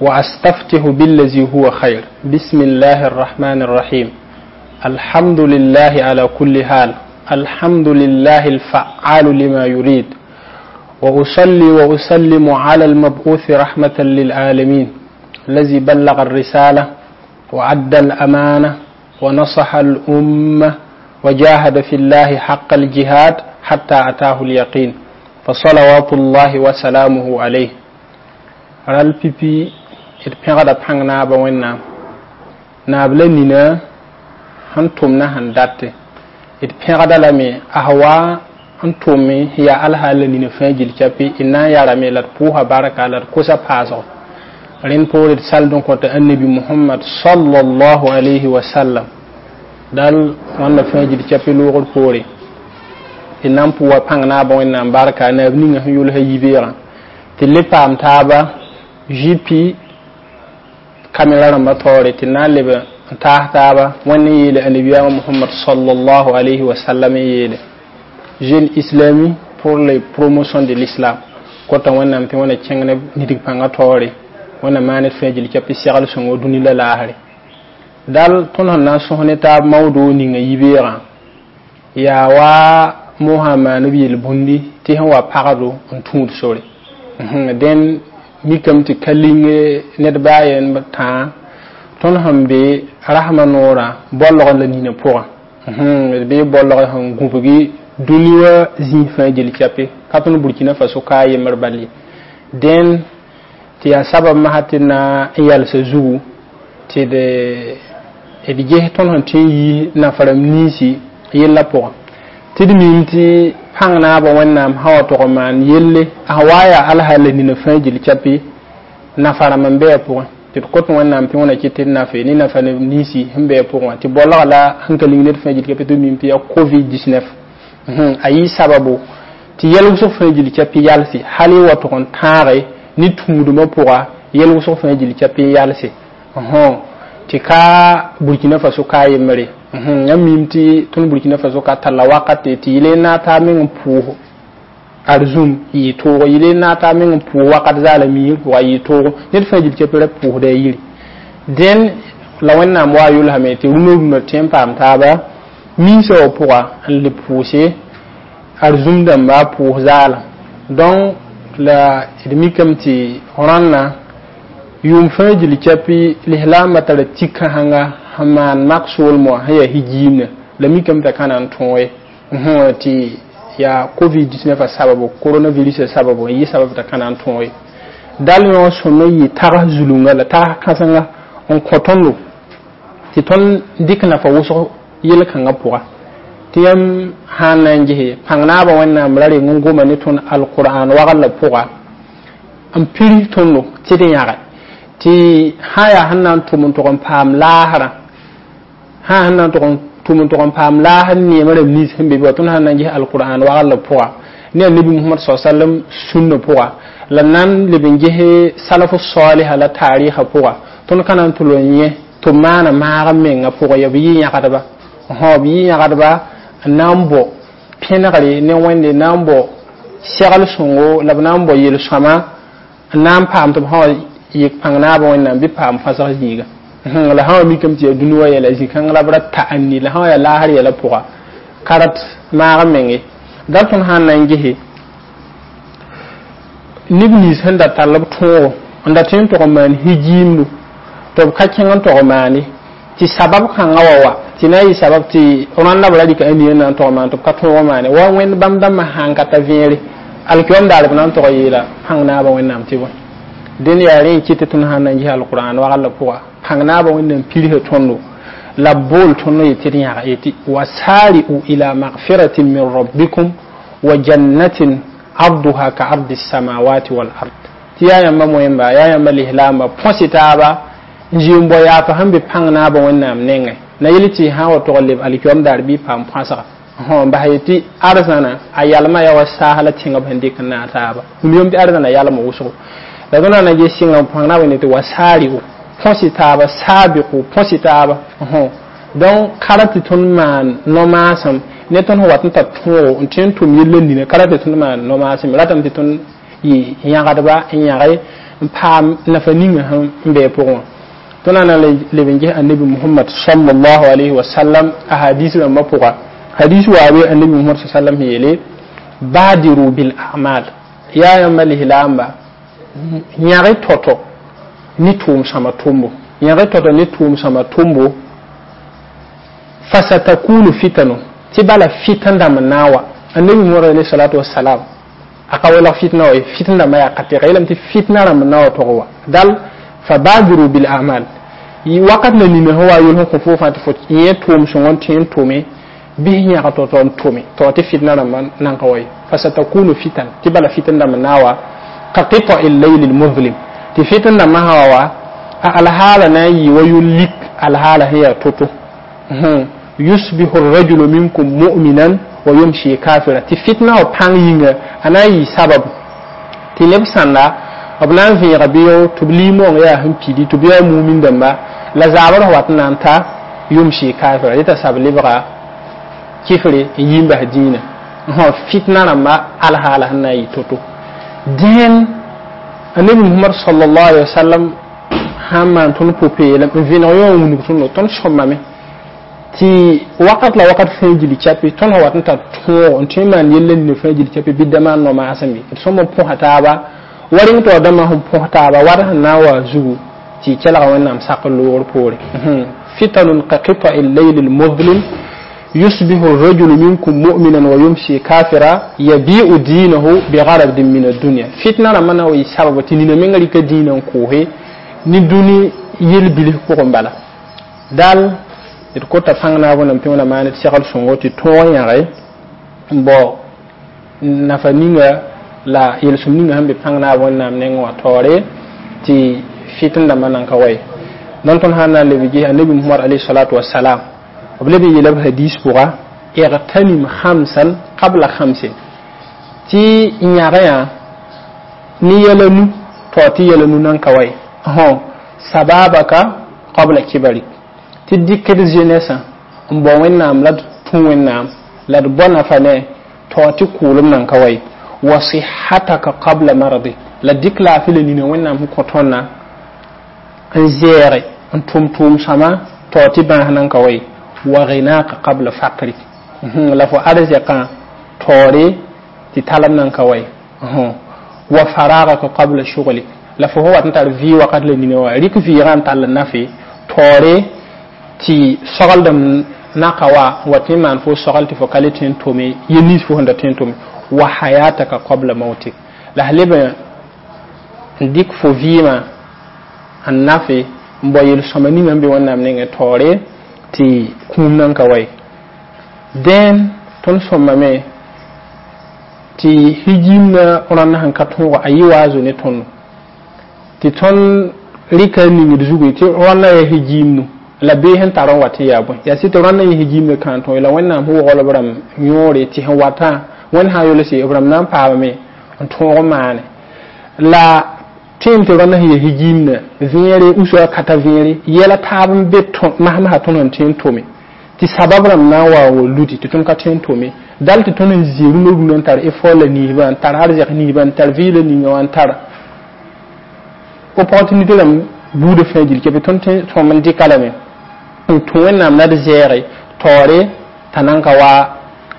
وأستفتح بالذي هو خير. بسم الله الرحمن الرحيم. الحمد لله على كل حال، الحمد لله الفعال لما يريد، وأصلي وأسلم على المبعوث رحمة للعالمين الذي بلغ الرسالة وأدى الأمانة ونصح الأمة وجاهد في الله حق الجهاد حتى أتاه اليقين، فصلوات الله وسلامه عليه. Ral pipi d pẽgda pãng naabã Wẽnnaam naab la nina sẽn tʋm na sẽn date. D pẽgda lame a wa n tʋme yaa alhaal la nina fãa gill capi d na n yarame la d pʋʋsa barka la d kosa paasgo. Rẽnd poore d sald n kõta Annabi Mohamad sallallahu alayhi wa sallam dal wãnda fãa gill capi loogr poore. D na n pʋʋa pãng naabã Wẽnnaam barka naab ninga sẽn yʋlsa yibeegã tɩ le paam taaba GP kamera rãmba taoore tɩ na n leb n taas taaba wẽnd n yeele annabiyaamã Mohamad sallallahu alayhi wa sallam n yeele jeune islami pour les promotion de l'islam kota Wẽnnaam tɩ wẽna kẽng ne nidg pãngã taoore wẽnna maan d fãa gill capi segl sõngo dũni la laasre. Dal tõnd sẽn na n sõs ne taab maoodo ninga yibeegã yaa wa mosã maan b yel-bũndi tɩ sẽn wa pagdo n tũud sore. Dẽn mikame tɩ ka ling ned baa yen tãa tõnd sẽn be rasmã noorã bolg la nina pʋgã d bee bolg sẽn gũbgi dũni wã zĩig fãa gill cape ka tõnd Burkina Faso ka a yembr bal ye. Dẽn tɩ yaa sabab masã tɩ na n yalsa zugu tɩ d ges tõnd sẽn tõe n yiis nafa-rãmb ninsi yellã pʋgã tɩ d mim tɩ pãng naabã Wẽnnaam sã wa tog n maan yelle a sã wa yaa alhaal la nina fãa gill capi nafa-rãmb n be a pʋgẽ tɩ d kõt Wẽnnaam tɩ wẽna kɩt tɩ d nafe ne nafa ninsi sẽn be a pʋgẽ wã tɩ bolga la sẽn ka ling ned fãa gill capi tɩ b mim tɩ yaa COVID 19 a yɩ sababu tɩ yɛl wʋsg fãa gill capi yalse hal y wa tog n tãage ne tũudmã pʋga yɛl wʋsg fãa gill capi n yalse tɩ ka Burkina Faso ka a yembre. Yãmb mim tɩ tõnd Burkina Faso ka talla wakate tɩ yɩl n na taa meng n pʋʋs arzũm yɩ toogo, yɩl n na taa meng n pʋʋs wakat zaala miisg pʋga yɩ toogo ned fãa gill capi ra pʋʋsda a yiri. Dẽn la Wẽnnaam wa yʋlsame tɩ rũnã rũnã tõe n paam taaba miisã wã pʋga n le pʋʋse arzũm dãmba pʋʋs zaala. Donc la d mikame tɩ rãnna yʋʋm fãa gill capi lislaambã tara tik-kãsenga sẽn maan mak soolem wã sẽn yaa higiimna la mikame t'a ka na n tõog ye tɩ yaa COVID 19 a sababu, coronavirus a sababu n yɩ sabab t'a ka na n tõog ye. Dal yõ sõma yɩ tags zulunga la tags kãsenga n kõ tõndo tɩ tõnd dɩk nafa wʋsg yel-kãngã pʋga tɩ yãmb sãn na n gese pãng naabã Wẽnnaam ra reng n goma ne tõnd alqur'an wagl la pʋga n pirs tõndo tɩ d yãge tɩ sã yaa sẽn na n tʋm n tog n paam laasrã sã sẽn na n tog n tʋm n tog n paam laasr neemã rãmb nins sẽn be be wa tõnd sãn na n ges alqur'an wagl la pʋga ne annabi Mohamad sa sallam sũnna pʋga la nan leb n gese salaf saliha la taarɩsã pʋga tõnd ka na n tʋl n yẽ tɩ b maana maag n mengã pʋgã ya b yɩ yãgdba b yɩ yãgdba n na n bɔ pẽnegre ne Wẽnde na n bɔ segl sõngo la b na n bɔ yel-sõama n na n paam tɩ b sã wa yik pãng naabã Wẽnnaam bɩ paam fãsg zĩiga. La sã wa mikame tɩ yaa dũni wã yɛla zĩ-kãng la b ra ta n ni la sã wa yaa laasr yɛla pʋga karat maag n menge. Dal tõnd sã n na n gese neb nins sẽn da tall b tõogo n da tõe n tog n maan higiimdu tɩ b ka kẽng n tog n maane tɩ sabab kãngã wa tɩ na n yɩ sabab tɩ rãnda b ra rɩka a nia na n tog n maan tɩ b ka tõog maane wa Wẽnd bãmb dãmbã sãn ka ta vẽere alkiyoom daar b na n tog n yeela pãng naabã Wẽnnaam tɩ bõe. Dẽn yaa rẽ n kɩt tɩ tõnd sãn na n ges alqur'an wagl la pʋga pãng naabã Wẽnnaam pirsa tõndo la b bool tõnd yetɩ d yãga yetɩ wasari'u ila magfiratin min rabbikum wa jannatin arduha ka ardi samawati wal ard tɩ yaa yãmba moẽmba yaa yãmba lislaamba põs taaba n zɩ n bao yaafa sẽn be pãng naabã Wẽnnaam nengẽ na yel tɩ sã wa tog n leb alkiyoom daar bɩ paam põasga n bas yetɩ arzãna a yalma yaa wa saas la tẽngã b sẽn dɩk n naag taaba wilgame tɩ arzãna yalma wʋsgo la tõnd na n ges sɩngrã pãng naabã ne tɩ wasari'u põs taaba saabiqu põs taaba. Donc kara tɩ tõnd maan no-maasem ne tõnd sẽn wat n tar tõogo n tõe n tʋm yella nina kara tɩ tõnd maan no-maasem ratame tɩ tõnd yɩ yãgdba n yãge n paam nafa ninga sẽn n be a pʋgẽ wã. Tõnd na leb n ges annabi Muhammad sallallahu alayhi wa sallam a hadis rãmbã pʋga. Hadis waa be annabi Muhammad sallam sẽn yeele badiru bil a'mal, yaa yãmba lislaamba, yãg tɔtɔ ne tʋʋm sõma tʋmbo, yãg tɔtɔ ne tʋʋm sõma tʋmbo. Fasatakunu fitanu, tɩ bala fitan dãmb n na n wa. Annabi Muhammad alayhi salatu wassalam a ka welg fitna wa ye, fitn dãmbã yaa ka tɛga yeelame tɩ fitna rãmb n na wa tog wa. Dal fabadiru bil a'mal, wakat na nina sẽn wa yol sẽn kõ fo fãa tɩ fo yẽ tʋʋm sõngɔ n tõe n tʋme bɩs yãg tɔ-tɔ n tʋme tɩ tɩ fitna rãmbã nan ka wa ye. Fasatakunu fitan, tɩ bala fitan dãmb n na wa ka qita'i llaili lmuzlim, tɩ fitan dãmbã sã wa a alhaala na n yɩ wa yol lik alhaala sẽn yaa to-to. Yusbihu rajulu minkum mu'minan wa yumshi kafira, tɩ fitna wa pãng yĩnga a na n yɩ sabab tɩ neb sãnda b na n vẽega beoog tɩ b liimoong yaa sẽn pidi tɩ b yaa mumin dãmba la zaabr sẽn wat n na n ta yumshi kafira, dɩ t'a sab lebga kifre n yi n bas dĩinã. Fitna rãmba alhaala sẽn na n yɩ to-to. Dẽn annabi Muhammad sallallahu alaihi wasallam sãn maan tõnd pʋ-peelem n vẽneg yõ n wilg tõndo, tõnd sõmame tɩ wakat la wakat fãa gil chapi tõnd sẽn wat n tar tõog n tõe n maan yella nina fãa gil chapi bɩ da maan no-maasem ye. D sõm n põsa taaba wa rẽng taoor dãmbã sẽn põs taaba wat sẽn na n wa zugu tɩ y kelga Wẽnnaam sak loogr poore. Fitanun ka qita'i llaili lmuzlim yusbihu rajulu minkum mu'minan wa yumsi kafira yabi'u dinahu bigharadin min addunya. Fitna rãmbã na wa yɩ sababa tɩ nina menga rɩka dĩinã n koose ne dũni yel-bilf pʋgẽ bala. Dal d kota pãng naab wẽnnaam tɩ wẽna maan d segl sõngo tɩ tõog yãge n bao nafa ninga la yel-sõm ninga sẽn be pãng naab wẽnnaam nengẽ wã taoore tɩ fitn dãmbã nan ka wa ye. Dõn tõnd sãn na n leb ges annabi Muhammad alayhi salatu wasalam, b leb n yeela b hadis pʋga igtanim khamsan qabla khamsin, tɩ yãge yã ne yɛla nu tao tɩ yɛla nu nan ka wa ye. Sababaka qabla kibarik, tɩ dɩk d jeunesse n bao Wẽnnaam la d tũ Wẽnnaam la d bao nafa ne tao tɩ kʋʋlem nan ka wa ye. Wa sihataka qabla mardik, la dɩk laafɩ la nina Wẽnnaam sẽn kõ tõndã n zɛɛge n tʋm tʋʋm sõma tao tɩ bãas nan ka wa ye. Wa ghinaka qabla faqrik, la fo arzɛkã taoore tɩ talem nan ka wa ye. Wa faragaka qabla shughlik, la fo sẽn wat n tar vɩ wakat la nina wã rɩk vɩɩgã n tall n nafe taoore tɩ sogeldem naka wa n wat n maan fo sogl tɩ fo ka le tõe n tome yel nins fo sẽn da tõe n tome. Wa hayataka qabla mautik, la s leb n dɩk fo vɩɩmã n nafe n bao yel-sõma ninga n be Wẽnnaam nengẽ taoore tɩ kũum nan ka wa ye. Dẽn tõnd sõmame tɩ hijimna rãnd sẽn ka tõogo a yɩ waazo ne tõndo tɩ tõnd rɩka ningd zugu tɩ rãndã yaa hijimnu la bee sẽn tar n wat n yaa bõe yaa sɩ tɩ rãndã yẽ hijimna kãan tõe la Wẽnnaam sẽn wogl b rãmb yõore tɩ sẽn watã Wẽnd sã n yolse b rãmb na n paamame n tõog n maane la tõem tɩ rãndã sẽn yaa hijimna vẽere usua ka ta vẽere yɛla taab n be masmasã tõnd sẽn tõe n tome tɩ sabab rãmb na n wa wa ludi tɩ tõnd ka tõe n tome dal tɩ tõnd n zĩ rũnã rũnã n tar effort la ninsbã n tar arzɛk ninsbã n tar vɩɩla ninga wã n tar opportunité rãmb buudã fãa gil kɛ bɩ tõnd tõm n dɩka lame n tũ Wẽnnaam la d zɛɛge taoore t'a nan ka wa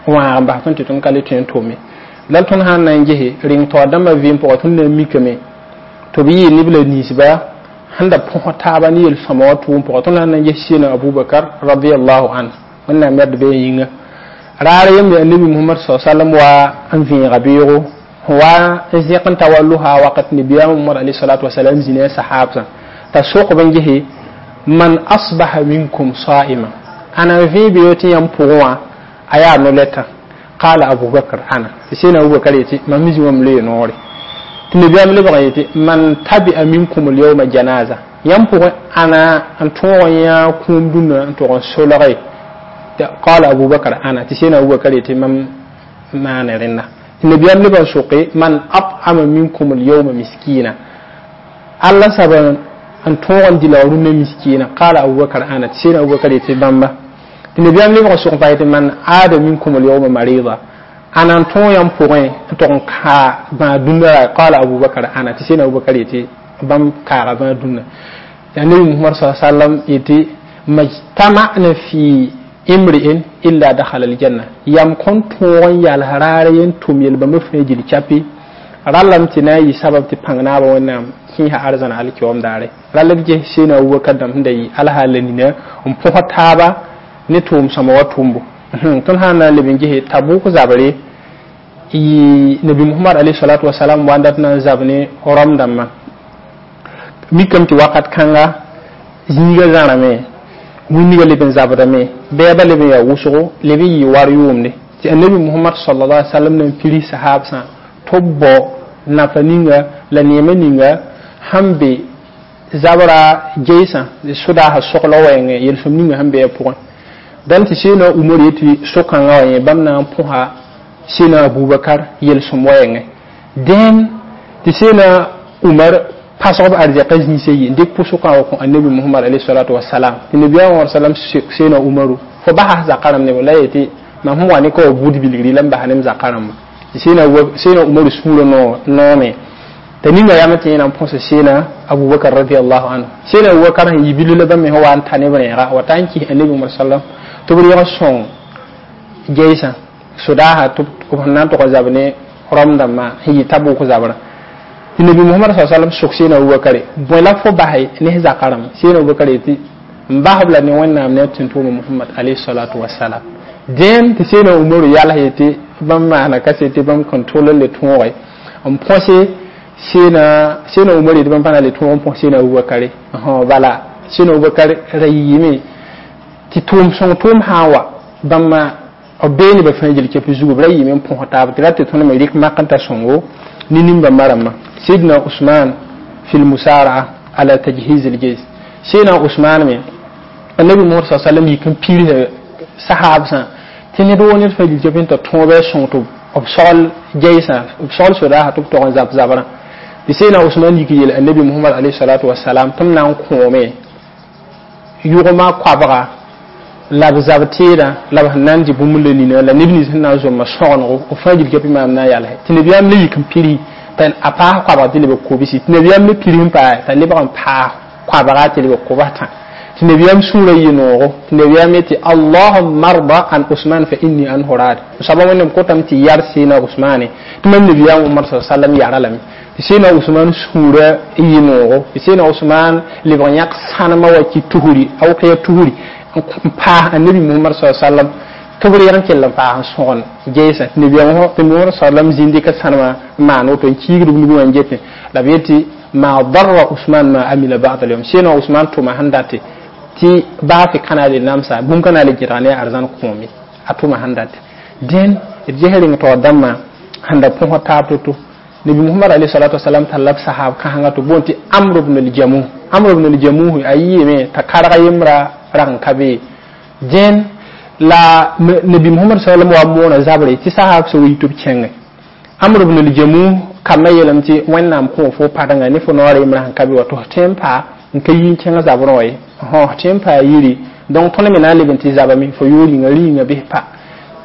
wãag n bas tõnd tɩ tõnd ka le tõe n tome. La tõnd sãn na n gese reng taoor dãmbã vɩɩm pʋgã tõnd na n mikame tɩ b yɩɩ neb la ninsba sẽn da põs taaba ne yel-sõma wã tʋʋm pʋgã. Tõnd sãn na n ges Sɩɩna Abubakar radiallahu anhu, Wẽnnaam yad be yĩnga raar yembe annabi Muhammad sa sallam wa n vẽega beoogo wa n zẽk n ta wa losa wakat nabiyaam Muhammad alayhi salatu wasalam zĩna sahabsã t'a sokb n gese man asbaha minkum sa'ima ana n vẽe beoog tɩ yãmb pʋgẽ wã a yaa no-lɛtã. Qala Abubakar ana, tɩ sẽna Abubakar yetɩ mam zĩ wã m loe noore. Tɩ nabiyaam lebg n yetɩ man tabi'a minkum alyawma janaza, yãmb pʋgẽ ana n tõog n yã kũum dũnna n tʋg n solge. Qala Abubakar ana, tɩ sẽna Abubakar yetɩ mam maane rẽnda. Tɩ nabiyaam lebg n soke man at'ama minkum alyawma miskina, alla saba n tõog n dɩ rũnnã miskina. Qala Abubakar ana, tɩ sẽna Abubakar yetɩ bãmba. Tɩ nabiyaam lebg n sok n pa yetɩ man aada minkum alyawma marida, ana n tõog yãmb pʋgẽ n tʋg n kaa bãag dũnna ra. Qala Abubakar ana, tɩ sẽna Abubakar yetɩ bãmb kaaga bãa dũnna. Annabi Muhammad sallallahu alaihi wasallam yetɩ majtama'na fi imri'in illa dakhala aljanna, yam kõn tõog n yals raar yen tʋm yel bãmba fãa gil chapi rallam tɩ na n yɩ sabab tɩ pãng naabã Wẽnnaam kẽesa arzãna alkiom daare. Rall d ges seena Abubakar dãmb sẽn da yɩ alhaal nina n põs taaba ne tʋʋm sõma wa tʋmbo. Tõnd sã n na n leb n gese Tabuk zabre, yɩ Nabi Muhammad alayhi salatu wasalam wa n dat na n zab ne Rom dãmbã. Mikame tɩ wakat kãnga zĩiga zãrame, wĩnniga leb n zabdame, bɛɛba leb n yaa wʋsgo, leb n yɩ war yʋʋmde tɩ Annabi Muhammad sallallahu alaihi wasallam na n pirs sahabsã tɩ b bao nafa ninga la neema ninga sẽn be zabra geisã sodaasã sogl wɛɛngẽ yel-sõm ninga sẽn be a pʋgẽ. Dãn tɩ Seena Umar yetɩ so-kãngã wã yẽ bãmb na n põsa Seena Abubakar yel-sõm wɛɛngẽ. Dẽn tɩ Seena Umar pasg b arzɛka zĩisã yi n dɩk pʋsʋkã wa kõ Annabi Muhammad alayhi salatu wasalam, tɩ nabiyaamã sallam Seena Umaru fo basa zakã rãmb neb la yetɩ mam sẽn wa ne ka wa buud bilgri la n bas nem zakã rãmba. Tɩ Seena Umaru sũurã noome t'a ninga yam tɩ yẽ na n põsa Seena Abubakar radiallahu anhu. Seena Abubakar sẽn yi bilf la bãmb me sẽn wa n ta ne b rẽega wa ta n kis Annabi Muhammad sallam tɩ b rẽeg sõng geisã sodaasã tɩ b sẽn na n tʋg n zab ne Rom dãmbã sẽn yɩ Tabuk zabrã. Tɩ Nabi Muhammad sallallahu alaihi wasallam sok Seena Abubakar bõe la fo basɛ ne zakã rãmba. Seena Abubakar yetɩ n basb la ne Wẽnnaam ne a tũn-tʋʋma Muhammad alayhi salatu wasalam. Dẽn tɩ Seena Umaru yals yetɩ bãmb maana kasete bãmb kõn tʋl n le tõoge n põse Seena Umar yetɩ bãmb pa na le tõog n põs Seena Abubakare. Bala Seena Abubakar ra yiime tɩ tʋʋm sõng tʋʋm sã n wa bãmba b bee nebã fãa gil kɛp zugu, b ra yiime n põs taab tɩ ra tɩ tõnd me rɩk mak n ta sõngo ne nin-bãmba rãmbã. Sidna Usman fi lmusaraa ala tajhiz aljeys. Seena Usman me Annabi Muhammad sa sallam yik n pirs sahabsã tɩ ned woo ned fãa gil kɛp n ta tõob a sõng tɩ b sogl geisã, b sogl sodaasã tɩ b tog n zab zabrã. Tɩ Seena Usman yik yeel Annabi Muhammad alayhi salatu wasalam tɩ m na n kõome yʋgmã koabga la b zab teedã la b sẽn na n dɩ bũmb la nina la neb nins sẽn na n zomma sõgenego b fãa gil kɛpɩ maam na n yalse. Tɩ nabiyaam le yik n piri t'a a paas koabg tɩ leb kobsi, tɩ nabiyaam le piri n paase t'a lebg n paas koabga tɩ leb kobs tã. Tɩ nabiyaam sũurã yɩ noogo tɩ nabiyaam yetɩ allahumma arda an Usman fa inni anhu raad. Soaba Wẽnnaam kotame tɩ yar Seena Usmane tɩ mam nabiyaam Muhammad sa sallam yara lame. Tɩ Seena Usman sũurã yɩ noogo, tɩ Seena Usman lebg n yãk sãnemã wa kɩ tuhuri a wʋk ya tuhuri n paas Annabi Muhammad sa sallam tɩ b rɩg n kell n paas n sõgen geesã. Tɩ nabiyaam Muhammad sallam zĩnd dɩka sãnemã n maan woto n kiigd b nug wã n getẽ la b yetɩ ma darra Usman ma amila ba'da al-yawm. Seena Usman tʋma sẽn date tɩ baa fɩ ka na le namsa bũmb ka na le gẽdg ne arzãn kõome a tʋma sẽn date. Dẽn d ges reng taoor dãmbã sẽn da põs taab to-to. Nabi Muhammad alayhi salatu wasalam talla b sahab kãsengã tɩ boond tɩ Amr ibn al-Jamuh. Amr ibn al-Jamuh a yiime t'a karg yembra rag n ka be. Dẽn la Nabi Muhammad sallam wa moona zabre tɩ sahab sã wa yi tɩ b kẽngẽ. Amr ibn al-Jamuh kambã yeelame tɩ Wẽnnaam kõ fo padengã ne fo noor yembra sẽn ka be wa tɩ f tõe n paa n ka yi n kẽng zabrẽ wa ye, f tõe n paa yiri donc tõnd me na n leb n tɩ zabame fo yoor yĩnga rĩnga bɩs pa.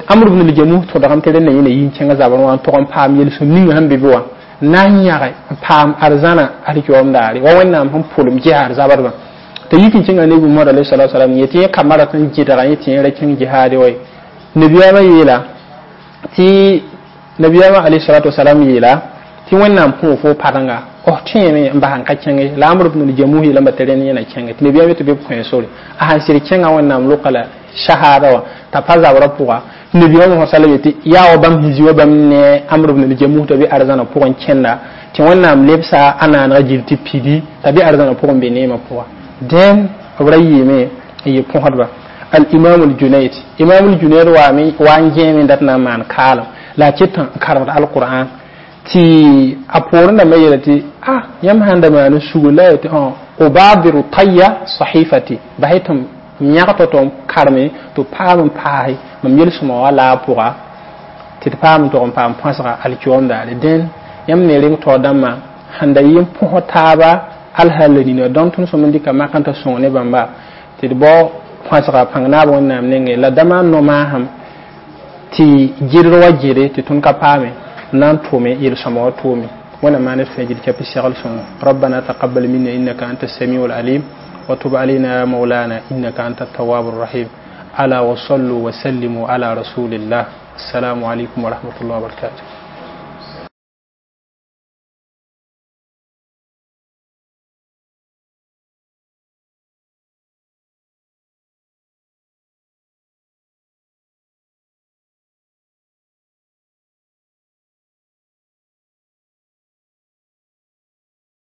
Amr ibn al-Jamuh tõdgame tɩ rẽnda yẽna yi n kẽng zabrẽ wã n tog n paam yel-sõm ninga sẽn be be wã na n yãge n paam arzãna alkiyoom daare wa Wẽnnaam sẽn pʋlem ges arzabdbã. T'a yik n kẽnga Nabi Muhammad alayhi salatu wasalam yetɩ yẽ kambã rat n gɩdga yẽ tɩ yẽ ra kẽng jihaade wa ye. Nabiyaamã yeela tɩ nabiyaamã alayhi salatu wasalam yeela tɩ Wẽnnaam kõ fo padenga f tõeme n bas n ka kẽnge la Amr ibn al-Jamuh yeelame tɩ rẽnd yẽna kẽnge. Tɩ nabiyaam yetɩ bɩ b kõ sore a sãn sɩd kẽnga Wẽnnaam loka la shahada wã t'a pa zabrã pʋga. Tɩ nabiyaam Muhammad sallam yetɩ yaa wa bãmb sẽn zĩ wa bãmb ne Amr ibn al-Jamuh t'a be arzãnã pʋgẽ kẽnda tɩ Wẽnnaam lebsa a naanegã gil tɩ pidi t'a be arzãnã pʋgẽ be neemã pʋga. Dẽn b ra yɩɩme n yɩ põsdba. Al-imam al-Junayd, imam al-Junayd waame wa n gẽeme n dat na n maan kaalem la a ket n karemd al-Qur'an tɩ a poorẽ dãmbã yeela tɩ a yãmb sãn da maan n sugu la yetɩ ubadiru tayya sahifati basɩ tɩ m yãg tɩ n kareme tɩ paam n paase mam yel-sõma wa la a pʋga tɩ d paam n tog n paam põsga alkiom daare. Dẽn yãmb ne reng taoor dãmbã sẽn da yɩ n põs taaba alhaal la nina dõn tõnd sõm n dɩka mak n ta sõng ne bãmba tɩ d bao põsga pãng naab Wẽnnaam nengẽ la dãmba n no-maasem tɩ gɩdr wa gere tɩ tõnd ka paame n na n tʋme yel-sõma wa tʋʋme. Wẽnnaam maan d fãa gil tɩ segl sõngo. ربنا تقبل منا إنك أنت السميع العليم وتب علينا يا مولانا إنك أنت التواب الرحيم. ألا وصلوا وسلموا على رسول الله. السلام عليكم ورحمة الله وبركاته.